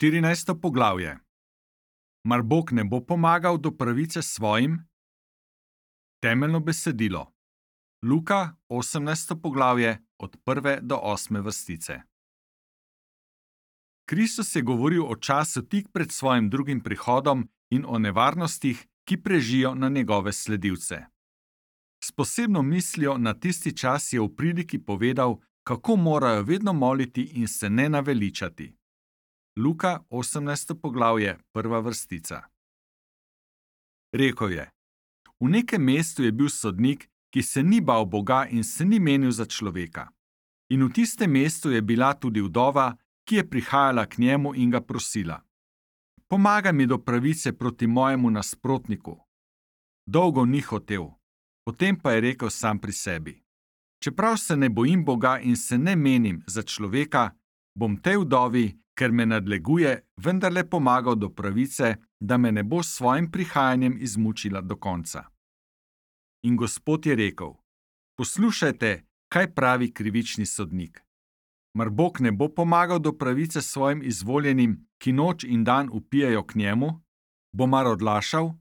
14. poglavje. Mar Bog ne bo pomagal do pravice svojim? Temeljno besedilo. Luka, 18. poglavje, od 1. do 8. vrstice. Kristus je govoril o času tik pred svojim drugim prihodom in o nevarnostih, ki prežijo na njegove sledilce. S posebno mislijo na tisti čas je v priliki povedal, kako morajo vedno moliti in se ne naveličati. Luka, 18. poglavje, 1. vrstica. Rekel je: v nekem mestu je bil sodnik, ki se ni bal Boga in se ni menil za človeka. In v tistem mestu je bila tudi vdova, ki je prihajala k njemu in ga prosila: pomagaj mi do pravice proti mojemu nasprotniku. Dolgo ni hotel, potem pa je rekel sam pri sebi: čeprav se ne bojim Boga in se ne menim za človeka, bom tej vdovi, ker me nadleguje, vendarle pomagal do pravice, da me ne bo s svojim prihajanjem izmučila do konca. In Gospod je rekel: poslušajte, kaj pravi krivični sodnik. Mar Bog ne bo pomagal do pravice svojim izvoljenim, ki noč in dan vpijejo k njemu? Bo mar odlašal?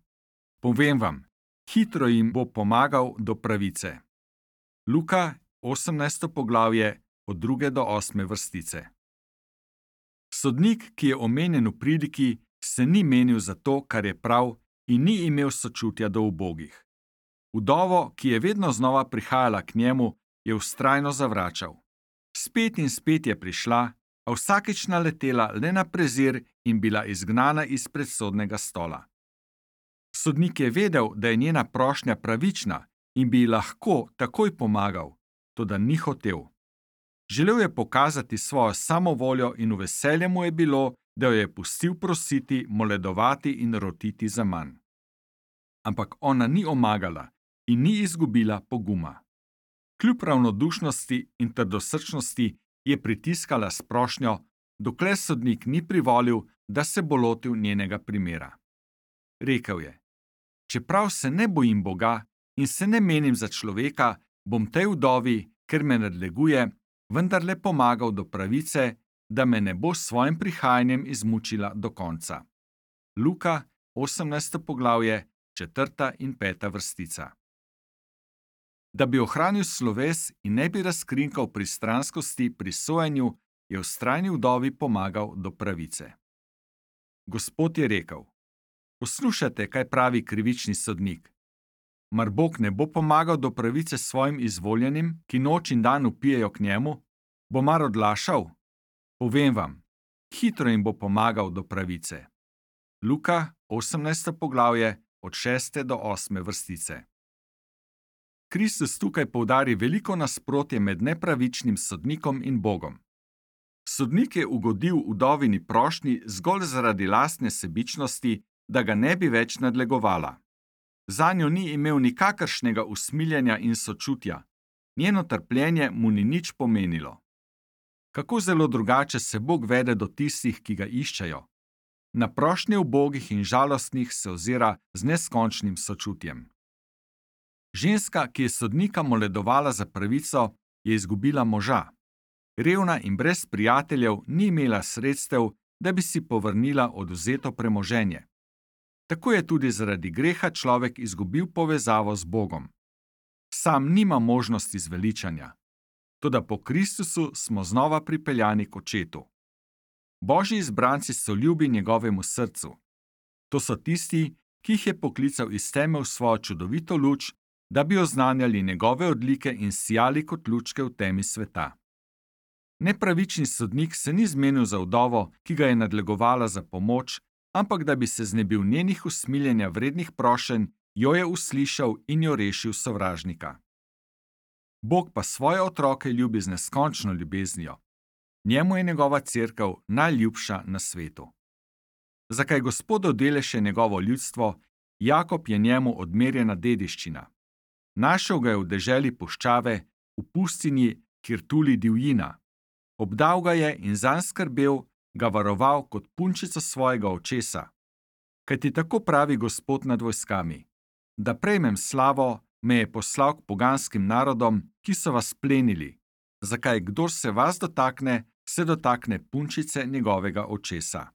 Povem vam, hitro jim bo pomagal do pravice. Luka, 18. poglavje, od 2. do 8. vrstice. Sodnik, ki je omenjen v priliki, se ni menil za to, kar je prav, in ni imel sočutja do ubogih. Vdovo, ki je vedno znova prihajala k njemu, je vztrajno zavračal. Spet in spet je prišla, a vsakič naletela le na prezir in bila izgnana izpred sodnega stola. Sodnik je vedel, da je njena prošnja pravična in bi ji lahko takoj pomagal, toda ni hotel. Želel je pokazati svojo samovoljo in v veselje mu je bilo, da jo je pustil prositi, moledovati in rotiti za manj. Ampak ona ni omagala in ni izgubila poguma. Kljub ravnodušnosti in trdosrčnosti je pritiskala s prošnjo, dokler sodnik ni privolil, da se bo lotil njenega primera. Rekel je: čeprav se ne bojim Boga in se ne menim za človeka, bom tej vdovi, ker me nadleguje, vendarle pomagal do pravice, da me ne bo s svojim prihajanjem izmučila do konca. Luka, 18. poglavje, 4. in 5. vrstica. Da bi ohranil sloves in ne bi razkrinkal pristranskosti pri sojenju, je vztrajni vdovi pomagal do pravice. Gospod je rekel: poslušajte, kaj pravi krivični sodnik. Mar Bog ne bo pomagal do pravice svojim izvoljenim, ki noč in dan vpijejo k njemu? Bo mar odlašal? Povem vam, hitro jim bo pomagal do pravice. Luka, 18. poglavje, od 6. do 8. vrstice. Kristus tukaj poudari veliko nasprotje med nepravičnim sodnikom in Bogom. Sodnik je ugodil vdovini prošnji zgolj zaradi lastne sebičnosti, da ga ne bi več nadlegovala. Zanjo ni imel nikakršnega usmiljenja in sočutja, njeno trpljenje mu ni nič pomenilo. Kako zelo drugače se Bog vede do tistih, ki ga iščejo. Na prošnje ubogih in žalostnih se ozira z neskončnim sočutjem. Ženska, ki je sodnika moledovala za pravico, je izgubila moža. Revna in brez prijateljev ni imela sredstev, da bi si povrnila odvzeto premoženje. Tako je tudi zaradi greha človek izgubil povezavo z Bogom. Sam nima možnosti zveličanja. Toda po Kristusu smo znova pripeljani k Očetu. Božji izbranci so ljubi njegovemu srcu. To so tisti, ki jih je poklical iz teme v svojo čudovito luč, da bi oznanjali njegove odlike in sijali kot lučke v temi sveta. Nepravični sodnik se ni zmenil za vdovo, ki ga je nadlegovala za pomoč, ampak da bi se znebil njenih usmiljenja vrednih prošenj, jo je uslišal in jo rešil sovražnika. Bog pa svoje otroke ljubi z neskončno ljubeznijo. Njemu je njegova cerkev najljubša na svetu. Zakaj Gospod odeleše njegovo ljudstvo, Jakob je njemu odmerjena dediščina. Našel ga je v deželi puščave, v pustinji, kjer tuli divjina. Obdal ga je in zanj skrbel, ga varoval kot punčico svojega očesa. Kajti tako pravi Gospod nad vojskami: da prejmem slavo, me je poslal k poganskim narodom, ki so vas plenili. Zakaj kdor se vas dotakne, se dotakne punčice njegovega očesa.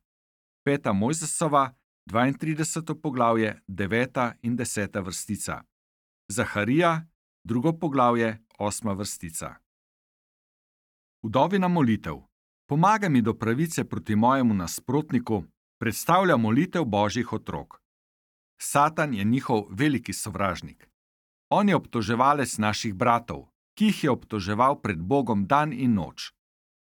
5. Mojzesova, 32. poglavje, 9. in 10. vrstica. Zaharija, 2. poglavje, 8. vrstica. Vdovina molitev. Pomagaj mi do pravice proti mojemu nasprotniku, predstavlja molitev Božjih otrok. Satan je njihov veliki sovražnik. On je obtoževalec naših bratov, ki jih je obtoževal pred Bogom dan in noč.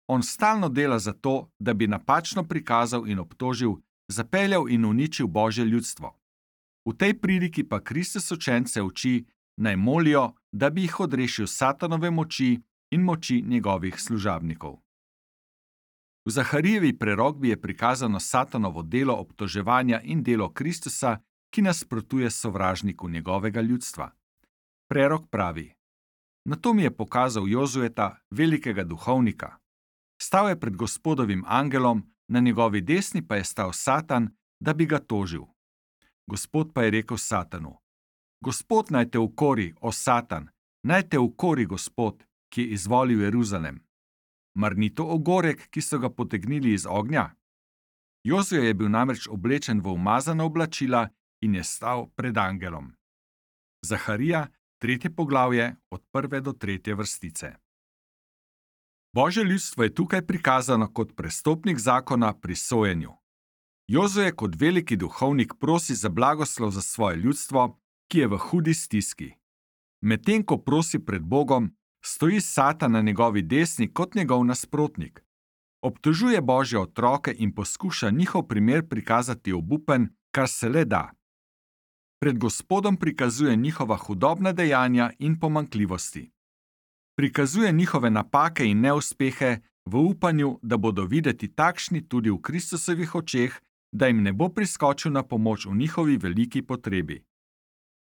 On stalno dela za to, da bi napačno prikazal in obtožil, zapeljal in uničil Božje ljudstvo. V tej priliki pa Kristus učence uči, naj molijo, da bi jih odrešil Satanove moči in moči njegovih služabnikov. V Zaharijevi prerokbi je prikazano Satanovo delo obtoževanja in delo Kristusa, ki nasprotuje sovražniku njegovega ljudstva. Prerok pravi: Nato mi je pokazal Jozueta, velikega duhovnika. Stal je pred Gospodovim angelom, na njegovi desni pa je stal Satan, da bi ga tožil. Gospod pa je rekel Satanu: Gospod naj te ukori, o Satan, naj te ukori Gospod, ki je izvolil Jeruzalem. Mar ni to ogorek, ki so ga potegnili iz ognja? Jozue je bil namreč oblečen v umazana oblačila in je stal pred angelom. Zaharija, 3. poglavje, od 1. do 3. vrstice. Božje ljudstvo je tukaj prikazano kot prestopnik zakona pri sojenju. Jozue kot veliki duhovnik prosi za blagoslov za svoje ljudstvo, ki je v hudi stiski. Medtem ko prosi pred Bogom, stoji Satan na njegovi desni kot njegov nasprotnik. Obtožuje Božje otroke in poskuša njihov primer prikazati obupen, kar se le da. Pred Gospodom prikazuje njihova hudobna dejanja in pomanjkljivosti. Prikazuje njihove napake in neuspehe v upanju, da bodo videti takšni tudi v Kristusovih očeh, da jim ne bo priskočil na pomoč v njihovi veliki potrebi.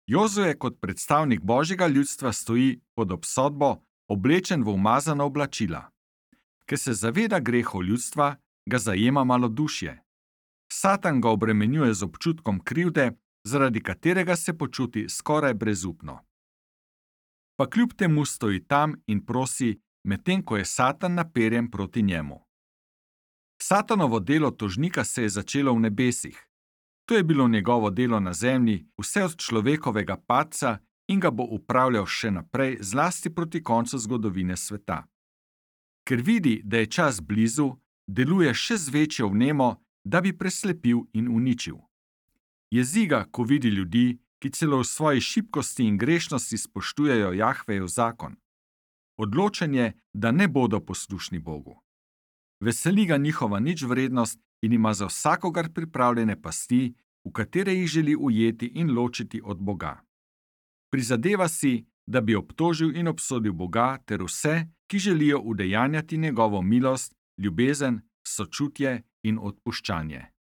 Jozue kot predstavnik Božjega ljudstva stoji pod obsodbo, oblečen v umazana oblačila. Ker se zaveda grehov ljudstva, ga zajema malodušje. Satan ga obremenjuje z občutkom krivde, zaradi katerega se počuti skoraj brezupno. Pa kljub temu stoji tam in prosi, medtem ko je Satan naperjen proti njemu. Satanovo delo tožnika se je začelo v nebesih. To je bilo njegovo delo na zemlji, vse od človekovega padca in ga bo upravljal še naprej, zlasti proti koncu zgodovine sveta. Ker vidi, da je čas blizu, deluje še z večjo vnemo, da bi preslepil in uničil. Jezi ga, ko vidi ljudi, ki celo v svoji šibkosti in grešnosti spoštujejo Jahvejev zakon. Odločen je, da ne bodo poslušni Bogu. Veseli ga njihova ničvrednost in ima za vsakogar pripravljene pasti, v katere jih želi ujeti in ločiti od Boga. Prizadeva si, da bi obtožil in obsodil Boga ter vse, ki želijo udejanjati njegovo milost, ljubezen, sočutje in odpuščanje.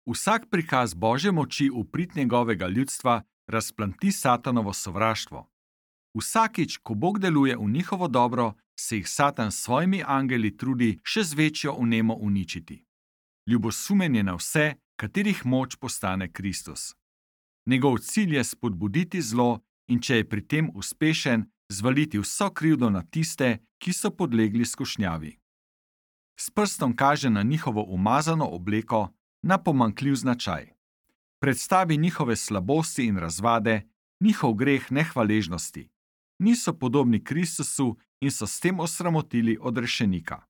Vsak prikaz Božje moči v prid njegovega ljudstva razplanti Satanovo sovraštvo. Vsakič, ko Bog deluje v njihovo dobro, se jih Satan s svojimi angeli trudi še z večjo vnemo uničiti. Ljubosumen je na vse, katerih moč postane Kristus. Njegov cilj je spodbuditi zlo in če je pri tem uspešen, zvaliti vso krivdo na tiste, ki so podlegli skušnjavi. S prstom kaže na njihovo umazano obleko, na pomanjkljiv značaj. Predstavi njihove slabosti in razvade, njihov greh nehvaležnosti. Niso podobni Kristusu in so s tem osramotili odrešenika.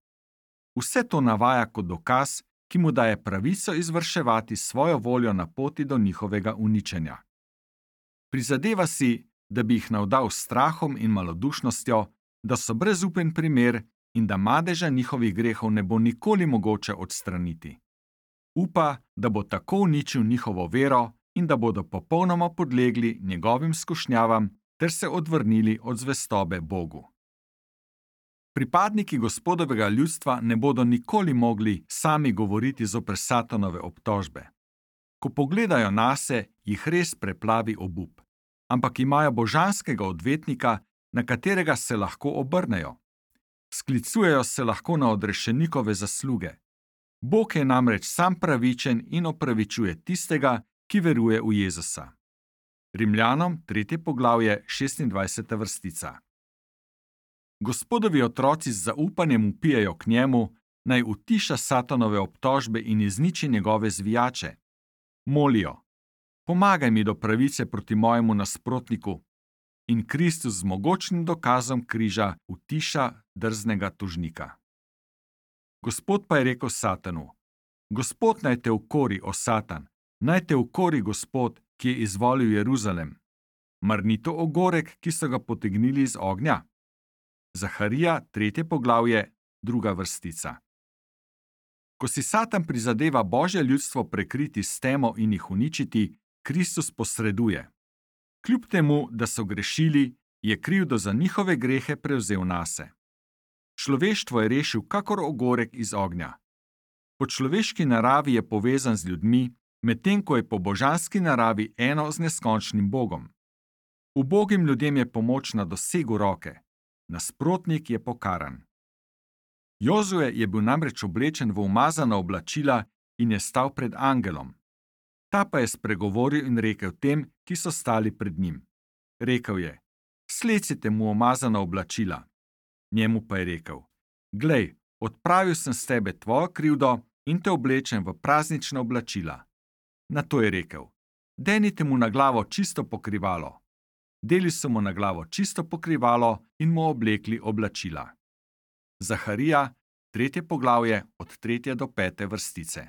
Vse to navaja kot dokaz, ki mu daje pravico izvrševati svojo voljo na poti do njihovega uničenja. Prizadeva si, da bi jih navdal s strahom in malodušnostjo, da so brezupen primer in da madeža njihovih grehov ne bo nikoli mogoče odstraniti. Upa, da bo tako uničil njihovo vero in da bodo popolnoma podlegli njegovim skušnjavam ter se odvrnili od zvestobe Bogu. Pripadniki Gospodovega ljudstva ne bodo nikoli mogli sami govoriti zoper Satanove obtožbe. Ko pogledajo nase, jih res preplavi obup, ampak imajo božanskega odvetnika, na katerega se lahko obrnejo. Sklicujejo se lahko na odrešenikove zasluge. Bog je namreč sam pravičen in opravičuje tistega, ki veruje v Jezusa. Rimljanom 3. poglavje 26. vrstica. Gospodovi otroci z zaupanjem vpijejo k njemu, naj utiša Satanove obtožbe in izniči njegove zvijače. Molijo: pomagaj mi do pravice proti mojemu nasprotniku. In Kristus z mogočnim dokazom križa utiša drznega tožnika. Gospod pa je rekel Satanu: Gospod naj te ukori, o Satan, naj te ukori Gospod, ki je izvolil Jeruzalem. Mar ni to ogorek, ki so ga potegnili iz ognja? Zaharija, 3. poglavje, 2. vrstica. Ko si Satan prizadeva Božje ljudstvo prekriti s temo in jih uničiti, Kristus posreduje. Kljub temu, da so grešili, je krivdo za njihove grehe prevzel nase. Človeštvo je rešil kakor ogorek iz ognja. Po človeški naravi je povezan z ljudmi, medtem ko je po božanski naravi eno z neskončnim Bogom. Ubogim ljudem je pomoč na dosegu roke, nasprotnik je pokaran. Jozue je bil namreč oblečen v umazana oblačila in je stal pred angelom. Ta pa je spregovoril in rekel tem, ki so stali pred njim. Rekel je: Slecite mu umazana oblačila. Njemu pa je rekel: Glej, odpravil sem s tebe tvojo krivdo in te oblečem v praznična oblačila. Nato je rekel: Denite mu na glavo čisto pokrivalo. Deli so mu na glavo čisto pokrivalo in mu oblekli oblačila. Zaharija, 3. poglavje, od 3. do 5. vrstice.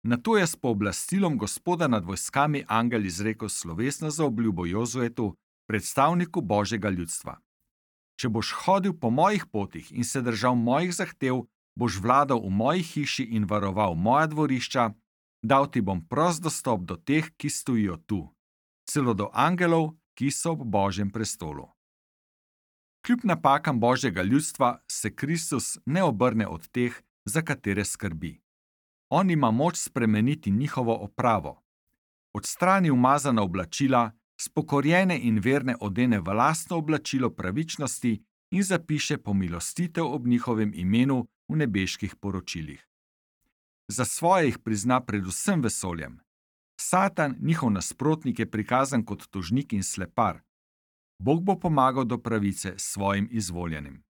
Nato je s pooblastilom Gospoda nad vojskami angel izrekel slovesno zaobljubo Jozuetu, predstavniku Božjega ljudstva. Če boš hodil po mojih potih in se držal mojih zahtev, boš vladal v moji hiši in varoval moja dvorišča, dal ti bom prost dostop do teh, ki stojijo tu, celo do angelov, ki so ob Božjem prestolu. Kljub napakam Božjega ljudstva se Kristus ne obrne od teh, za katere skrbi. On ima moč spremeniti njihovo opravo. Odstrani umazana oblačila, spokorjene in verne odene v lastno oblačilo pravičnosti in zapiše pomilostitev ob njihovem imenu v nebeških poročilih. Za svoje jih prizna predvsem vesoljem. Satan, njihov nasprotnik, je prikazan kot tožnik in slepar. Bog bo pomagal do pravice svojim izvoljenim.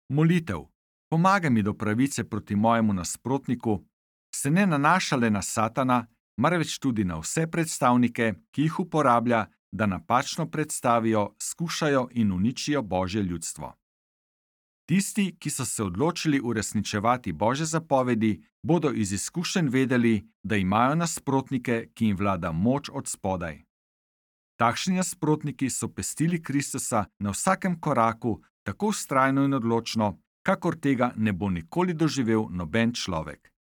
Molitev: pomagaj mi do pravice proti mojemu nasprotniku, se ne nanaša le na Satana, marveč tudi na vse predstavnike, ki jih uporablja, da napačno predstavijo, skušajo in uničijo Božje ljudstvo. Tisti, ki so se odločili uresničevati Božje zapovedi, bodo iz izkušenj vedeli, da imajo nasprotnike, ki jim vlada moč od spodaj. Takšni nasprotniki so pestili Kristusa na vsakem koraku, tako vztrajno in odločno, kakor tega ne bo nikoli doživel noben človek.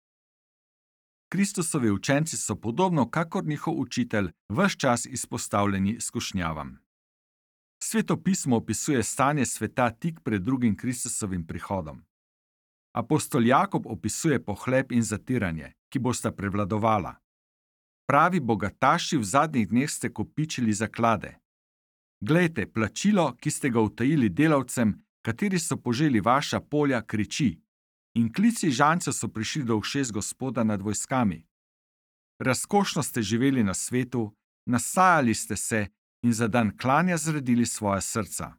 Kristusovi učenci so podobno kakor njihov učitelj ves čas izpostavljeni skušnjavam. Sveto pismo opisuje stanje sveta tik pred drugim Kristusovim prihodom. Apostol Jakob opisuje pohlep in zatiranje, ki bosta prevladovala. Pravi, bogataši v zadnjih dneh ste kopičili zaklade. Glejte, plačilo, ki ste ga utajili delavcem, kateri so poželi vaša polja, kriči, in klici žancev so prišli do ušes Gospoda nad vojskami. Razkošno ste živeli na svetu, nasajali ste se in za dan klanja zredili svoja srca.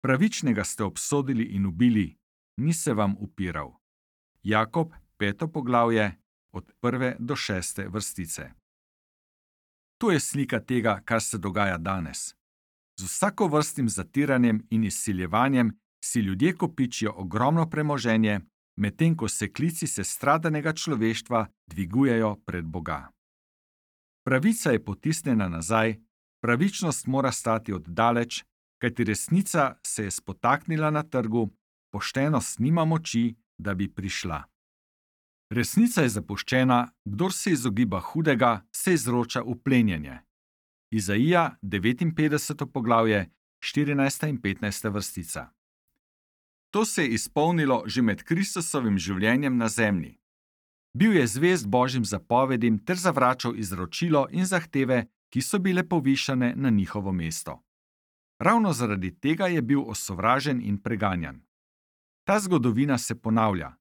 Pravičnega ste obsodili in ubili, ni se vam upiral. Jakob, 5. poglavje, od 1. do 6. vrstice. To je slika tega, kar se dogaja danes. Z vsakovrstnim zatiranjem in izsiljevanjem si ljudje kopičijo ogromno premoženje, medtem ko se klici sestradanega človeštva dvigujejo pred Boga. Pravica je potisnjena nazaj, pravičnost mora stati oddaleč, kajti resnica se je spotaknila na trgu, poštenost nima moči, da bi prišla. Resnica je zapuščena, kdor se izogiba hudega, se izroča v plenjenje. Izaija, 59. poglavje, 14. in 15. vrstica. To se je izpolnilo že med Kristusovim življenjem na zemlji. Bil je zvest Božjim zapovedim ter zavračal izročilo in zahteve, ki so bile povišane na njihovo mesto. Ravno zaradi tega je bil osovražen in preganjan. Ta zgodovina se ponavlja.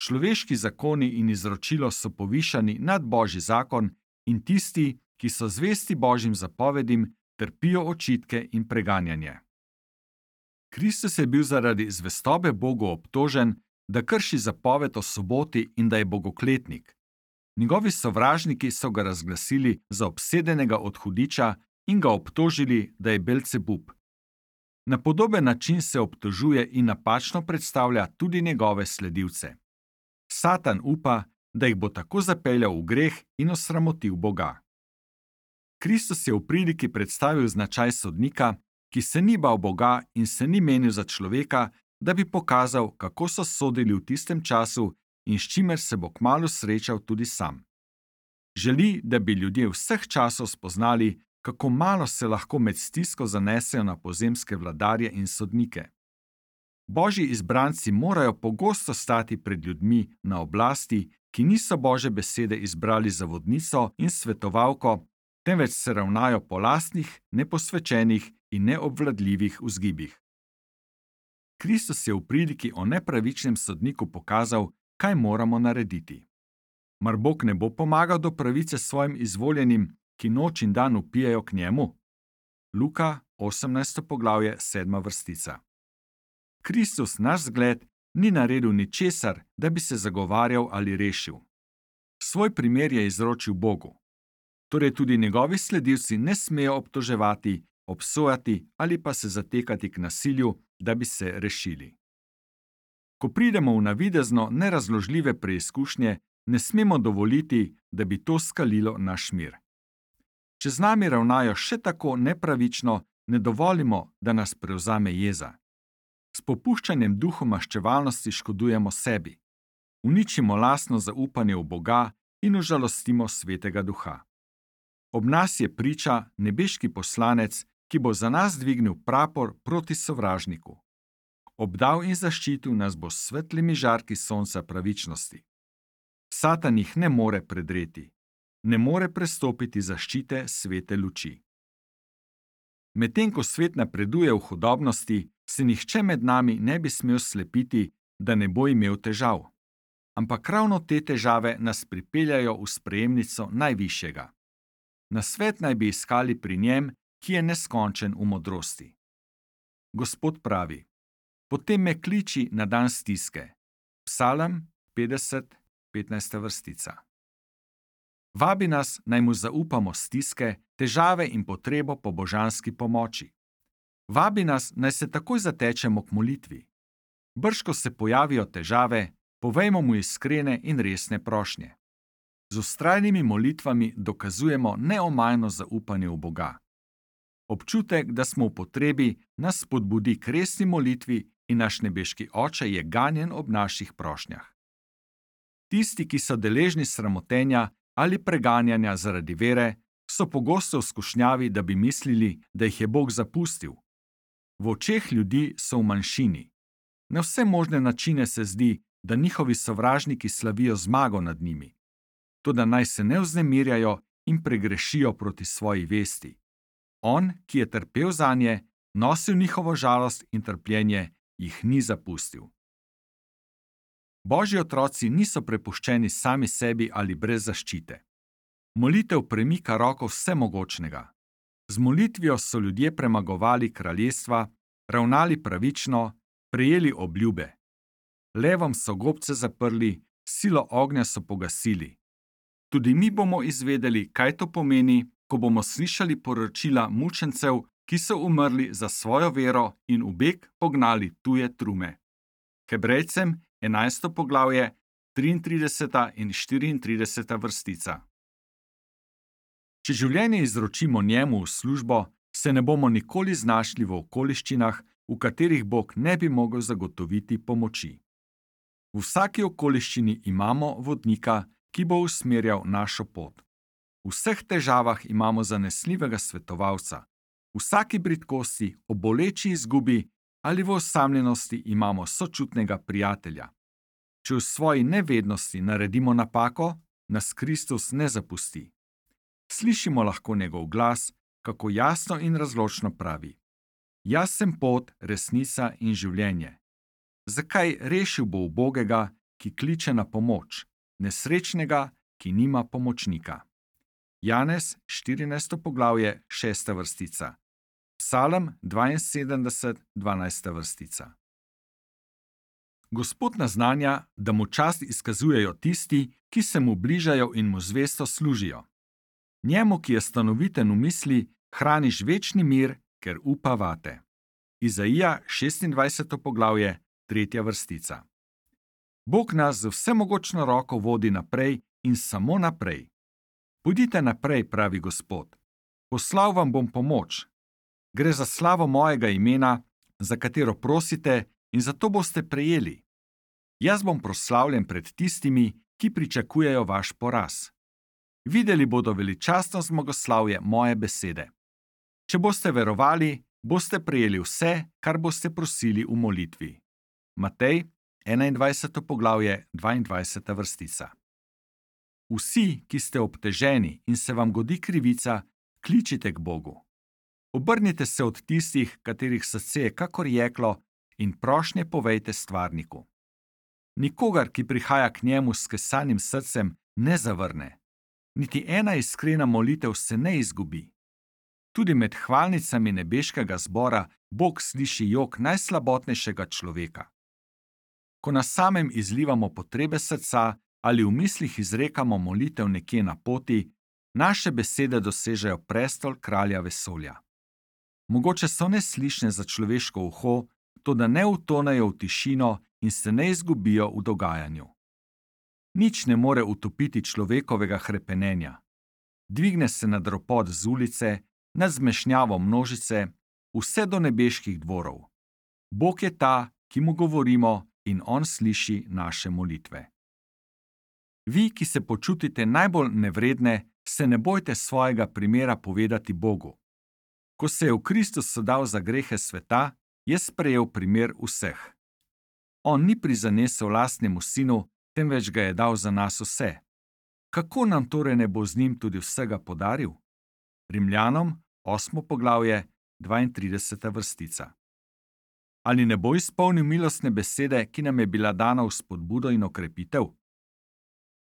Človeški zakoni in izročilo so povišani nad Božji zakon in tisti, ki so zvesti Božjim zapovedim, trpijo očitke in preganjanje. Kristus je bil zaradi zvestobe Bogu obtožen, da krši zapoved o soboti in da je bogokletnik. Njegovi sovražniki so ga razglasili za obsedenega odhudiča in ga obtožili, da je Belcebub. Na podoben način se obtožuje in napačno predstavlja tudi njegove sledilce. Satan upa, da jih bo tako zapeljal v greh in osramotil Boga. Kristus je v pridiki predstavil značaj sodnika, ki se ni bal Boga in se ni menil za človeka, da bi pokazal, kako so sodili v tistem času in s čimer se bo kmalu srečal tudi sam. Želi, da bi ljudje vseh časov spoznali, kako malo se lahko med stisko zanesejo na pozemske vladarje in sodnike. Božji izbranci morajo pogosto stati pred ljudmi na oblasti, ki niso Božje besede izbrali za vodnico in svetovalko, temveč se ravnajo po lastnih, neposvečenih in neobvladljivih vzgibih. Kristus je v pridiki o nepravičnem sodniku pokazal, kaj moramo narediti. Mar Bog ne bo pomagal do pravice svojim izvoljenim, ki noč in dan vpijejo k njemu? Luka, 18. poglavje, 7. vrstica. Kristus, naš zgled, ni naredil ničesar, da bi se zagovarjal ali rešil. Svoj primer je izročil Bogu. Torej tudi njegovi sledilci ne smejo obtoževati, obsojati ali pa se zatekati k nasilju, da bi se rešili. Ko pridemo v navidezno nerazložljive preizkušnje, ne smemo dovoliti, da bi to skalilo naš mir. Če z nami ravnajo še tako nepravično, ne dovolimo, da nas prevzame jeza. S popuščanjem duhu maščevalnosti škodujemo sebi. Uničimo lastno zaupanje v Boga in užalostimo svetega duha. Ob nas je priča nebeški poslanec, ki bo za nas dvignil prapor proti sovražniku. Obdal in zaščitil nas bo s svetlimi žarki sonca pravičnosti. Satan jih ne more predreti, ne more prestopiti zaščite svete luči. Medtem ko svet napreduje v hudobnosti, se nihče med nami ne bi smel slepiti, da ne bo imel težav. Ampak ravno te težave nas pripeljajo v sprejemnico najvišjega. Nasvet naj bi iskali pri njem, ki je neskončen v modrosti. Gospod pravi: potem me kliči na dan stiske. Psalm 50, 15. vrstica. Vabi nas, naj mu zaupamo stiske, težave in potrebo po božanski pomoči. Vabi nas, naj se takoj zatečemo k molitvi. Brž ko se pojavijo težave, povejmo mu iskrene in resne prošnje. Z vztrajnimi molitvami dokazujemo neomajno zaupanje v Boga. Občutek, da smo v potrebi, nas spodbudi k resni molitvi in naš nebeški Oče je ganjen ob naših prošnjah. Tisti, ki so deležni sramotenja ali preganjanja zaradi vere, so pogosto v skušnjavi, da bi mislili, da jih je Bog zapustil. V očeh ljudi so v manjšini. Na vse možne načine se zdi, da njihovi sovražniki slavijo zmago nad njimi. Toda naj se ne vznemirjajo in pregrešijo proti svoji vesti. On, ki je trpel zanje, nosil njihovo žalost in trpljenje, jih ni zapustil. Božji otroci niso prepuščeni sami sebi ali brez zaščite. Molitev premika roko vsemogočnega. Z molitvijo so ljudje premagovali kraljestva, ravnali pravično, prejeli obljube. Levom so gobce zaprli, silo ognja so pogasili. Tudi mi bomo izvedeli, kaj to pomeni, ko bomo slišali poročila mučencev, ki so umrli za svojo vero in v beg pognali tuje trume. Hebrejcem 11. poglavje, 33. in 34. vrstica. Če življenje izročimo njemu v službo, se ne bomo nikoli znašli v okoliščinah, v katerih Bog ne bi mogel zagotoviti pomoči. V vsaki okoliščini imamo vodnika, ki bo usmerjal našo pot. V vseh težavah imamo zanesljivega svetovalca. V vsaki bridkosti, o boleči izgubi ali v osamljenosti imamo sočutnega prijatelja. Če v svoji nevednosti naredimo napako, nas Kristus ne zapusti. Slišimo lahko njegov glas, kako jasno in razločno pravi: Jaz sem pot, resnica in življenje. Zakaj rešil bo ubogega, ki kliče na pomoč, nesrečnega, ki nima pomočnika? Janez, 14. poglavje, 6. vrstica. Psalm 72, 12. vrstica. Gospod naznanja, da mu čast izkazujejo tisti, ki se mu bližajo in mu zvesto služijo. Njemu, ki je stanoviten v misli, hraniš večni mir, ker upa vate. Izaija 26. poglavje, 3. vrstica. Bog nas z vsemogočno roko vodi naprej in samo naprej. Pojdite naprej, pravi Gospod. Poslal vam bom pomoč. Gre za slavo mojega imena, za katero prosite in zato boste prejeli. Jaz bom proslavljen pred tistimi, ki pričakujejo vaš poraz. Videli bodo veličastno zmagoslavje moje besede. Če boste verovali, boste prejeli vse, kar boste prosili v molitvi. Matej 21. poglavje, 22. vrstica. Vsi, ki ste obteženi in se vam godi krivica, kličite k Bogu. Obrnite se od tistih, katerih srce je kakor jeklo, in prošnje povejte stvarniku. Nikogar, ki prihaja k njemu s skesanim srcem, ne zavrne. Niti ena iskrena molitev se ne izgubi. Tudi med hvalnicami nebeškega zbora Bog sliši jok najslabotnejšega človeka. Ko na samem izlivamo potrebe srca ali v mislih izrekamo molitev nekje na poti, naše besede dosežejo prestol kralja vesolja. Mogoče so neslišne za človeško uho, toda ne utonejo v tišino in se ne izgubijo v dogajanju. Nič ne more utopiti človekovega hrepenenja. Dvigne se nad ropot z ulice, nad zmešnjavo množice, vse do nebeških dvorov. Bog je ta, ki mu govorimo, in on sliši naše molitve. Vi, ki se počutite najbolj nevredne, se ne bojte svojega primera povedati Bogu. Ko se je v Kristusu dal za grehe sveta, je sprejel primer vseh. On ni prizanesel lastnemu sinu, temveč ga je dal za nas vse. Kako nam torej ne bo z njim tudi vsega podaril? Rimljanom 8. poglavje, 32. vrstica. Ali ne bo izpolnil milostne besede, ki nam je bila dana v spodbudo in okrepitev?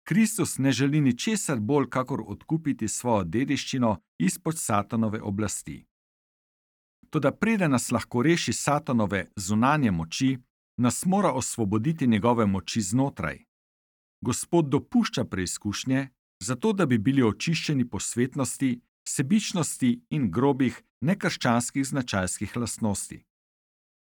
Kristus ne želi ničesar bolj, kakor odkupiti svojo dediščino izpod Satanove oblasti. Toda preden nas lahko reši Satanove zunanje moči, nas mora osvoboditi njegove moči znotraj. Gospod dopušča preizkušnje, zato da bi bili očiščeni posvetnosti, sebičnosti in grobih, nekrščanskih značajskih lastnosti.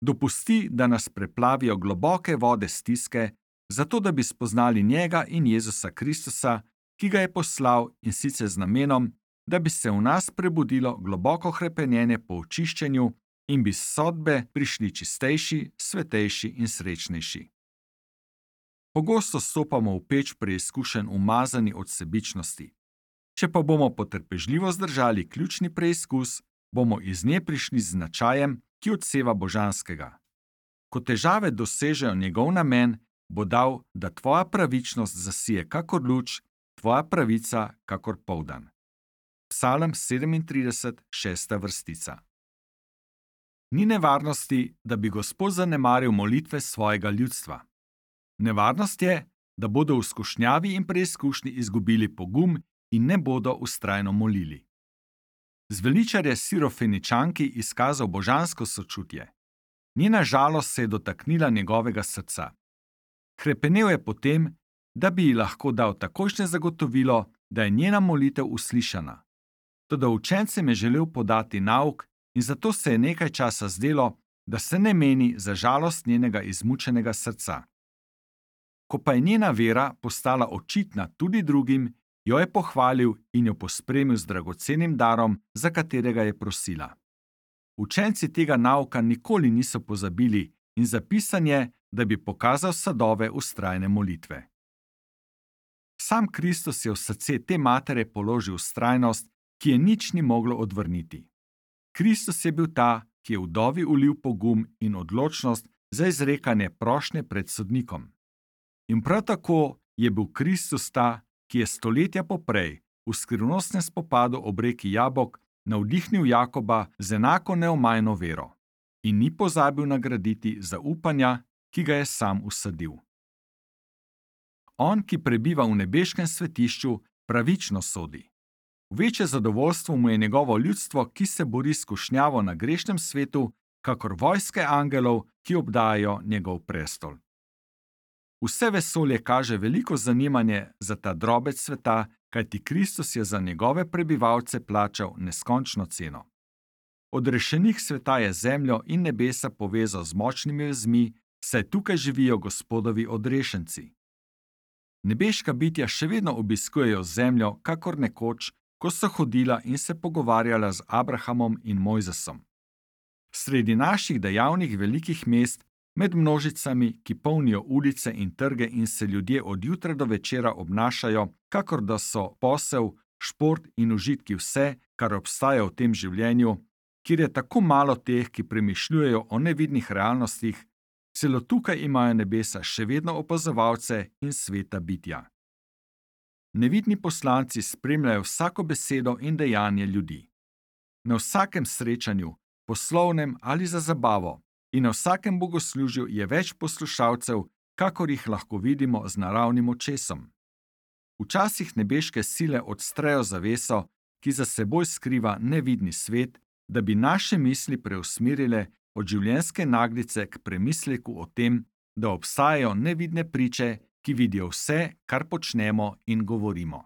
Dopusti, da nas preplavijo globoke vode stiske, zato da bi spoznali njega in Jezusa Kristusa, ki ga je poslal in sicer z namenom, da bi se v nas prebudilo globoko hrepenenje po očiščenju in bi s sodbe prišli čistejši, svetejši in srečnejši. Pogosto stopamo v peč preizkušenj umazani od sebičnosti. Če pa bomo potrpežljivo zdržali ključni preizkus, bomo iz nje prišli z značajem, ki odseva božanskega. Ko težave dosežejo njegov namen, bo dal, da tvoja pravičnost zasije kakor luč, tvoja pravica kakor poldan. Psalm 37, 6. vrstica. Ni nevarnosti, da bi Gospod zanemaril molitve svojega ljudstva. Nevarnost je, da bodo v skušnjavi in preizkušnji izgubili pogum in ne bodo vztrajno molili. Zveličar je Sirofeničanki izkazal božansko sočutje. Njena žalost se je dotaknila njegovega srca. Hrepenel je potem, da bi ji lahko dal takojšnje zagotovilo, da je njena molitev uslišana. Toda učencem je želel podati nauk in zato se je nekaj časa zdelo, da se ne meni za žalost njenega izmučenega srca. Ko pa je njena vera postala očitna tudi drugim, jo je pohvalil in jo pospremil z dragocenim darom, za katerega je prosila. Učenci tega nauka nikoli niso pozabili in zapisan je, da bi pokazal sadove vztrajne molitve. Sam Kristus je v srce te matere položil vztrajnost, ki je nič ni moglo odvrniti. Kristus je bil ta, ki je vdovi ulil pogum in odločnost za izrekanje prošnje pred sodnikom. In prav tako je bil Kristus ta, ki je stoletja poprej v skrivnostnem spopadu ob reki Jabok navdihnil Jakoba z enako neomajno vero in ni pozabil nagraditi zaupanja, ki ga je sam usadil. On, ki prebiva v nebeškem svetišču, pravično sodi. Večje zadovoljstvo mu je njegovo ljudstvo, ki se bori s skušnjavo na grešnem svetu, kakor vojske angelov, ki obdajajo njegov prestol. Vse vesolje kaže veliko zanimanje za ta drobec sveta, kajti Kristus je za njegove prebivalce plačal neskončno ceno. Odrešenik sveta je zemljo in nebesa povezal z močnimi vezmi, saj tukaj živijo Gospodovi odrešenci. Nebeška bitja še vedno obiskujejo zemljo, kakor nekoč, ko so hodila in se pogovarjala z Abrahamom in Mojzesom. Sredi naših dejavnih velikih mest, med množicami, ki polnijo ulice in trge in se ljudje od jutra do večera obnašajo, kakor da so posel, šport in užitki vse, kar obstaja v tem življenju, kjer je tako malo teh, ki premišljujejo o nevidnih realnostih, celo tukaj imajo nebesa še vedno opazovalce in sveta bitja. Nevidni poslanci spremljajo vsako besedo in dejanje ljudi. Na vsakem srečanju, poslovnem ali za zabavo, in na vsakem bogoslužju je več poslušalcev, kakor jih lahko vidimo z naravnim očesom. Včasih nebeške sile odstrejo zaveso, ki za seboj skriva nevidni svet, da bi naše misli preusmerile od življenjske naglice k premisleku o tem, da obstajajo nevidne priče, ki vidijo vse, kar počnemo in govorimo.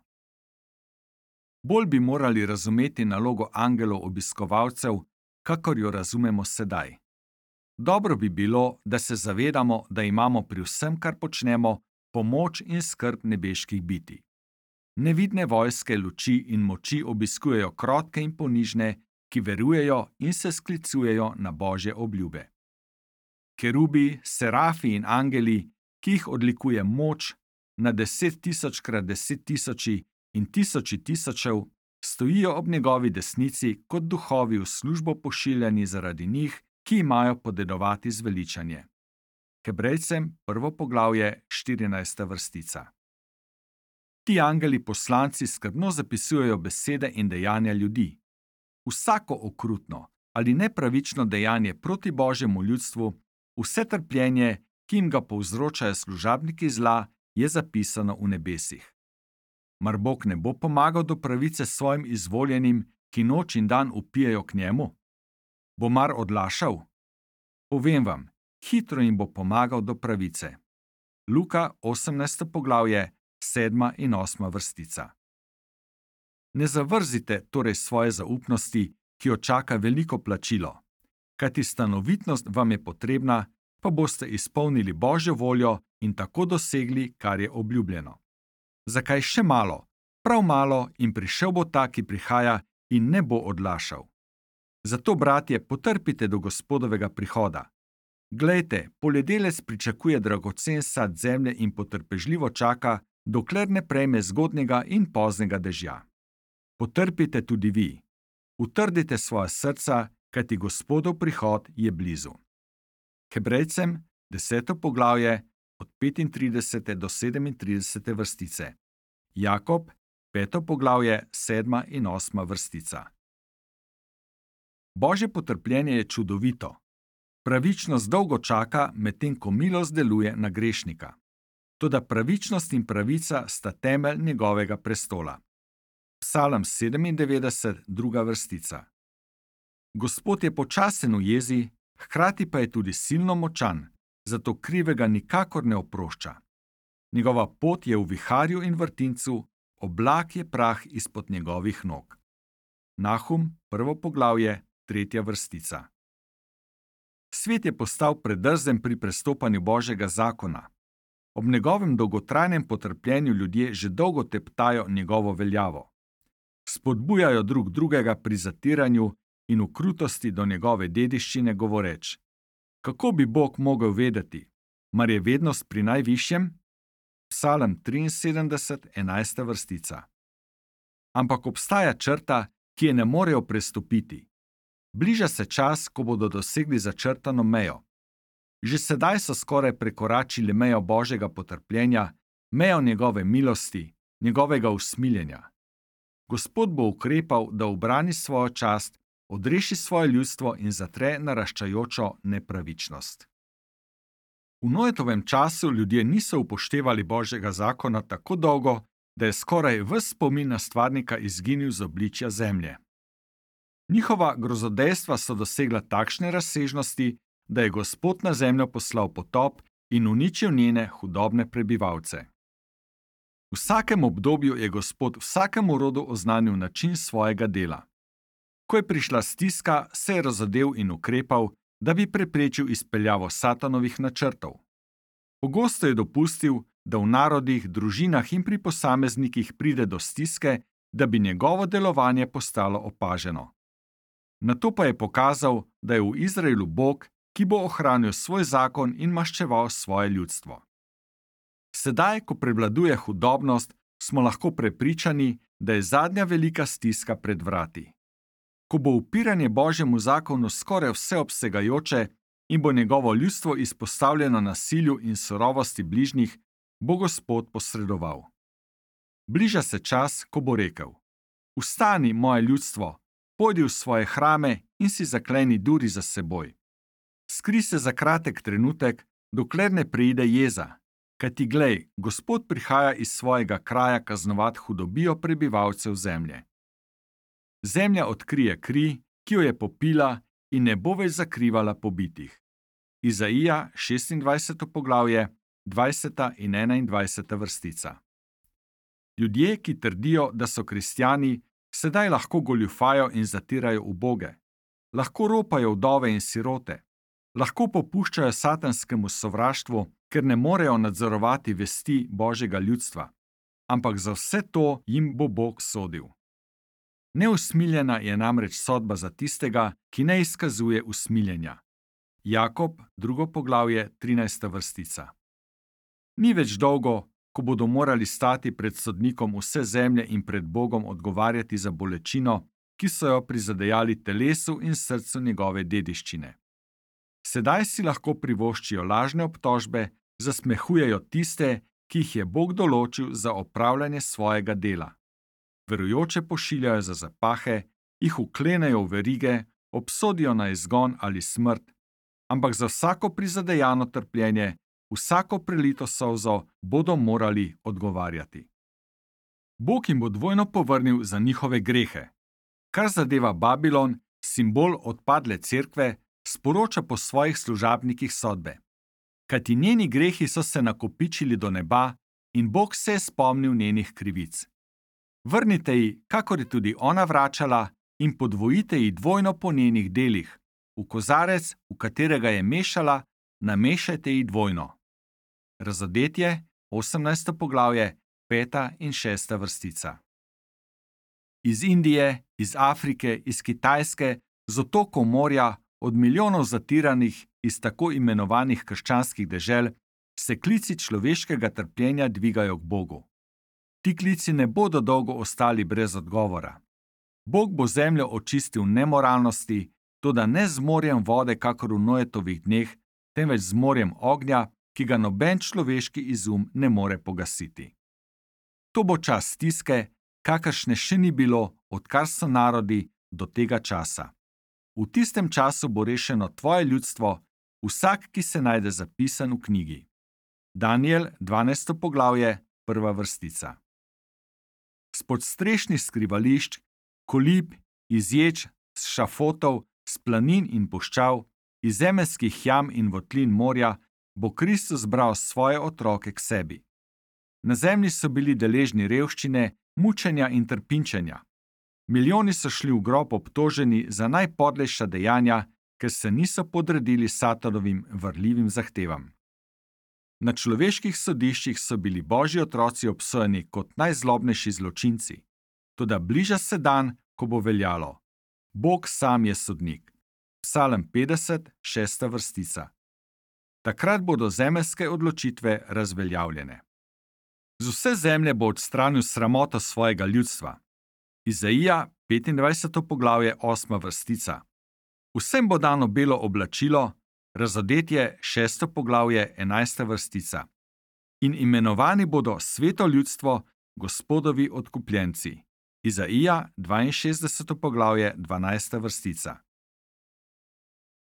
Bolj bi morali razumeti nalogo angelov obiskovalcev, kakor jo razumemo sedaj. Dobro bi bilo, da se zavedamo, da imamo pri vsem, kar počnemo, pomoč in skrb nebeških bitij. Nevidne vojske luči in moči obiskujejo krotke in ponižne, ki verujejo in se sklicujejo na Božje obljube. Kerubi, serafi in angeli, ki jih odlikuje moč, na 10.000 krat 10.000 in tisoči tisočev, stojijo ob njegovi desnici kot duhovi v službo pošiljani zaradi njih, ki imajo podedovati zveličanje. Hebrejcem 1. poglavje 14. vrstica. Ti angeli poslanci skrbno zapisujejo besede in dejanja ljudi. Vsako okrutno ali nepravično dejanje proti Božjemu ljudstvu, vse trpljenje, ki jim ga povzročajo služabniki zla, je zapisano v nebesih. Mar Bog ne bo pomagal do pravice svojim izvoljenim, ki noč in dan vpijejo k njemu? Bo mar odlašal? Povem vam, hitro jim bo pomagal do pravice. Luka 18. poglavje, 7. in 8. vrstica. Ne zavrzite torej svoje zaupnosti, ki jo čaka veliko plačilo. Kajti stanovitnost vam je potrebna, pa boste izpolnili Božjo voljo in tako dosegli, kar je obljubljeno. Zakaj še malo? Prav malo in prišel bo ta, ki prihaja in ne bo odlašal. Zato, bratje, potrpite do Gospodovega prihoda. Glejte, poljedelec pričakuje dragocen sad zemlje in potrpežljivo čaka, dokler ne prejme zgodnjega in poznega dežja. Potrpite tudi vi. Utrdite svoja srca, kajti Gospodov prihod je blizu. Hebrejcem 10. poglavje od 35. do 37. vrstice. Jakob 5. poglavje 7. in 8. vrstica. Božje potrpljenje je čudovito. Pravičnost dolgo čaka, medtem ko milost deluje na grešnika. Toda pravičnost in pravica sta temelj njegovega prestola. Psalm 97, 2. vrstica. Gospod je počasen v jezi, hkrati pa je tudi silno močan, zato krivega nikakor ne oprošča. Njegova pot je v viharju in vrtincu, oblak je prah izpod njegovih nog. Nahum, 1. poglavje, 3. vrstica. Svet je postal predrzen pri prestopanju Božjega zakona. Ob njegovem dolgotrajnem potrpljenju ljudje že dolgo teptajo njegovo veljavo. Spodbujajo drug drugega pri zatiranju in v krutosti do njegove dediščine govoreč: kako bi Bog mogel vedeti? Mar je vednost pri najvišjem? Psalm 73, 11. vrstica. Ampak obstaja črta, ki je ne morejo prestopiti. Bliža se čas, ko bodo dosegli začrtano mejo. Že sedaj so skoraj prekoračili mejo Božjega potrpljenja, mejo njegove milosti, njegovega usmiljenja. Gospod bo ukrepal, da ubrani svojo čast, odreši svoje ljudstvo in zatre naraščajočo nepravičnost. V Noetovem času ljudje niso upoštevali Božjega zakona tako dolgo, da je skoraj ves spomin na stvarnika izginil z obličja zemlje. Njihova grozodejstva so dosegla takšne razsežnosti, da je Gospod na zemljo poslal potop in uničil njene hudobne prebivalce. V vsakem obdobju je Gospod vsakemu rodu oznanil način svojega dela. Ko je prišla stiska, se je razodel in ukrepal, da bi preprečil izpeljavo Satanovih načrtov. Pogosto je dopustil, da v narodih, družinah in pri posameznikih pride do stiske, da bi njegovo delovanje postalo opaženo. Nato pa je pokazal, da je v Izraelu Bog, ki bo ohranil svoj zakon in maščeval svoje ljudstvo. Sedaj, ko prevladuje hudobnost, smo lahko prepričani, da je zadnja velika stiska pred vrati. Ko bo upiranje Božjemu zakonu skoraj vseobsegajoče in bo njegovo ljudstvo izpostavljeno nasilju in surovosti bližnjih, bo Gospod posredoval. Bliža se čas, ko bo rekel: Vstani, moje ljudstvo, pojdi v svoje hrame in si zakleni duri za seboj. Skri se za kratek trenutek, dokler ne preide jeza, kajti glej, Gospod prihaja iz svojega kraja kaznovat hudobijo prebivalcev zemlje. Zemlja odkrije kri, ki jo je popila, in ne bo več zakrivala pobitih. Izaija 26. poglavje, 20. in 21. vrstica. Ljudje, ki trdijo, da so kristjani, sedaj lahko goljufajo in zatirajo uboge, lahko ropajo vdove in sirote, lahko popuščajo satanskemu sovraštvu, ker ne morejo nadzorovati vesti Božjega ljudstva, ampak za vse to jim bo Bog sodil. Neusmiljena je namreč sodba za tistega, ki ne izkazuje usmiljenja. Jakob, 2. poglavje, 13. vrstica. Ni več dolgo, ko bodo morali stati pred sodnikom vse zemlje in pred Bogom odgovarjati za bolečino, ki so jo prizadejali telesu in srcu njegove dediščine. Sedaj si lahko privoščijo lažne obtožbe, zasmehujejo tiste, ki jih je Bog določil za opravljanje svojega dela. Verujoče pošiljajo za zapahe, jih vklenejo v verige, obsodijo na izgon ali smrt, ampak za vsako prizadejano trpljenje, vsako prelito solzo bodo morali odgovarjati. Bog jim bo dvojno povrnil za njihove grehe. Kar zadeva Babilon, simbol odpadle cerkve, sporoča po svojih služabnikih sodbe. Kajti njeni grehi so se nakopičili do neba in Bog se je spomnil njenih krivic. Vrnite ji, kakor je tudi ona vračala, in podvojite ji dvojno po njenih delih. V kozarec, v katerega je mešala, namešajte ji dvojno. Razodetje, 18. poglavje, 5. in 6. vrstica. Iz Indije, iz Afrike, iz Kitajske, z otokov morja, od milijonov zatiranih iz tako imenovanih krščanskih dežel, se klici človeškega trpljenja dvigajo k Bogu. Ti klici ne bodo dolgo ostali brez odgovora. Bog bo zemljo očistil nemoralnosti, toda ne z morjem vode, kakor v Noetovih dneh, temveč z morjem ognja, ki ga noben človeški izum ne more pogasiti. To bo čas stiske, kakršne še ni bilo, odkar so narodi do tega časa. V tistem času bo rešeno tvoje ljudstvo, vsak, ki se najde zapisan v knjigi. Danijel, 12. poglavje, 1. vrstica. Spod strešnih skrivališč, kolib, iz ječ, s šafotov, s planin in puščav, iz zemeljskih jam in votlin morja, bo Kristus bral svoje otroke k sebi. Na zemlji so bili deležni revščine, mučenja in trpinčenja. Milijoni so šli v grob obtoženi za najpodlejša dejanja, ker se niso podredili Satanovim varljivim zahtevam. Na človeških sodiščih so bili Božji otroci obsojeni kot najzlobnejši zločinci. Toda bliža se dan, ko bo veljalo: Bog sam je sodnik. Psalm 50, 6. vrstica. Takrat bodo zemeljske odločitve razveljavljene. Z vse zemlje bo odstranil sramoto svojega ljudstva. Izaija, 25. poglavje, 8. vrstica. Vsem bo dano belo oblačilo, Razodetje, 6. poglavje, 11. vrstica. In imenovani bodo sveto ljudstvo, Gospodovi odkupljenci. Izaija, 62. poglavje, 12. vrstica.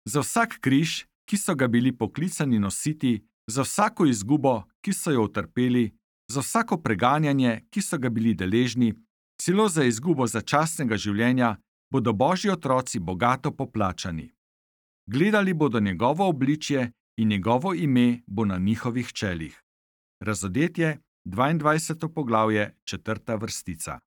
Za vsak križ, ki so ga bili poklicani nositi, za vsako izgubo, ki so jo utrpeli, Za vsako preganjanje, ki so ga bili deležni, celo za izgubo začasnega življenja, bodo Božji otroci bogato poplačani. Gledali bodo njegovo obličje in njegovo ime bo na njihovih čelih. Razodetje, 22. poglavje, 4. vrstica.